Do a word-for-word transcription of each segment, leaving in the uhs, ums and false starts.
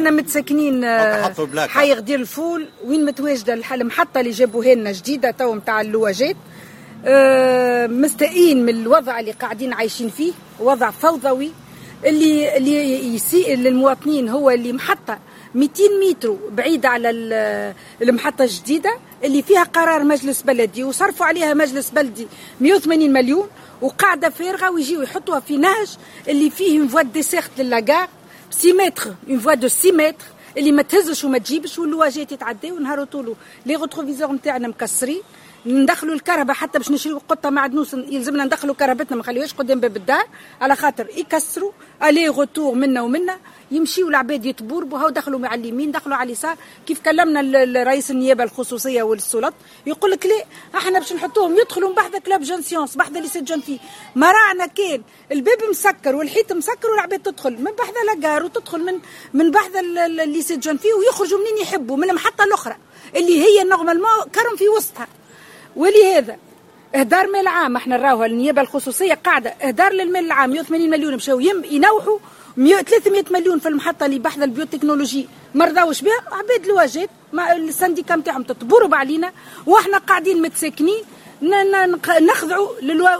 احنا متساكنين حي غدير الفول، وين متواجدة المحطة اللي جابوها لنا جديدة تو نتاع اللواجات. اه مستائين من الوضع اللي قاعدين عايشين فيه، وضع فوضوي اللي اللي يسيء للمواطنين. هو اللي محطة مئتين متر بعيدة على المحطة الجديدة اللي فيها قرار مجلس بلدي وصرفوا عليها مجلس بلدي مئة وثمانين مليون، وقاعدة فارغة ويجيو يحطوها في نهج اللي فيه une voie desserte ل la gare six mètres، une voie de six mètres اللي ما تهزش وما تجيبش، واللواجات يتعداو ونهار طولو les rétroviseurs نتاعنا مكسرين. ندخلوا الكرهبه حتى باش نشريو قطة معدنوس يلزمنا ندخلوا كرهبتنا، ما نخليوهاش قدام باب الدار على خاطر يكسروا aller-retour منا ومنا، يمشيوا العباد يتبوربوا، هاو دخلوا مع اليمين دخلوا على اليسار. كيف كلمنا رئيس النيابة الخصوصية والسلط يقول لك لا احنا باش نحطوهم يدخلوا من بحذا Club Jeunes Sciences، بحذا lycée de jeunes filles. ما راعنا كان الباب مسكر والحيط مسكر والعباد تدخل من بحذا la gare وتدخل من من بحذا lycée de jeunes filles ويخرجوا منين يحبوا من المحطة الاخرى اللي هي normalement كرم في وسطها. ولهذا اهدار مال عام، احنا نراوها النيابة الخصوصية قاعدة اهدار للمال العام. مئة وثمانين مليون مشاو ينوحوا ثلاثمئة مليون في المحطة اللي بحذا ال biotechnologie ما رضاوش بها عباد الواجات، ال syndicat نتاعهم تتبورب علينا واحنا قاعدين متساكنين نخضعوا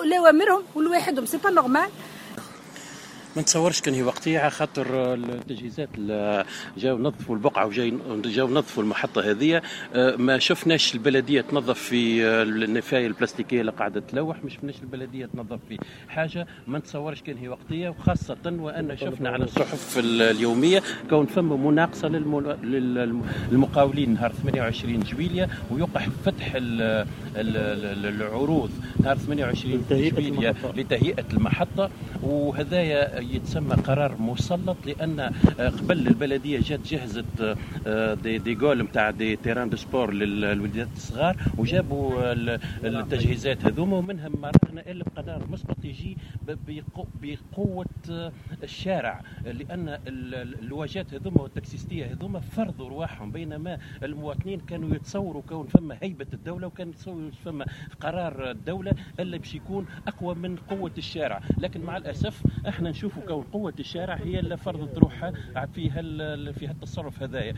لاوامرهم ولواحدهم، c'est pas normal. ما نتصورش كان هي وقتية على خاطر التجهيزات جاو نظفوا البقعة وجاي جاو نظفوا المحطة هذه. ما شفناش البلدية تنظف في النفايه البلاستيكية اللي قاعدة تلوح، ما شفناش البلدية تنظف في حاجة. ما نتصورش كان هي وقتية، وخاصة وان شفنا على الصحف اليومية كون فما مناقصه للمقاولين نهار ثمانية وعشرين جويلية، ويوقع فتح العروض نهار ثمانية وعشرين جويلية لتهيئه المحطة. وهذايا يتسمى قرار مسلط، لان قبل البلدية جات جهزت des des goals نتاع des terrains de sport للوليدات الصغار وجابوا التجهيزات هذوما، ومنها ما رانا الا بقرار مسبق يجي بقوة الشارع، لان اللواجات هذوما والتاكسيستيه هذوما فرضوا رواحهم، بينما المواطنين كانوا يتصوروا كون فما هيبة الدولة وكان يتصوروا فما قرار الدولة اللي باش يكون اقوى من قوة الشارع. لكن مع الاسف احنا نشوفوا كون قوة الشارع هي اللي فرضت روحها في هال في هالتصرف هذايا.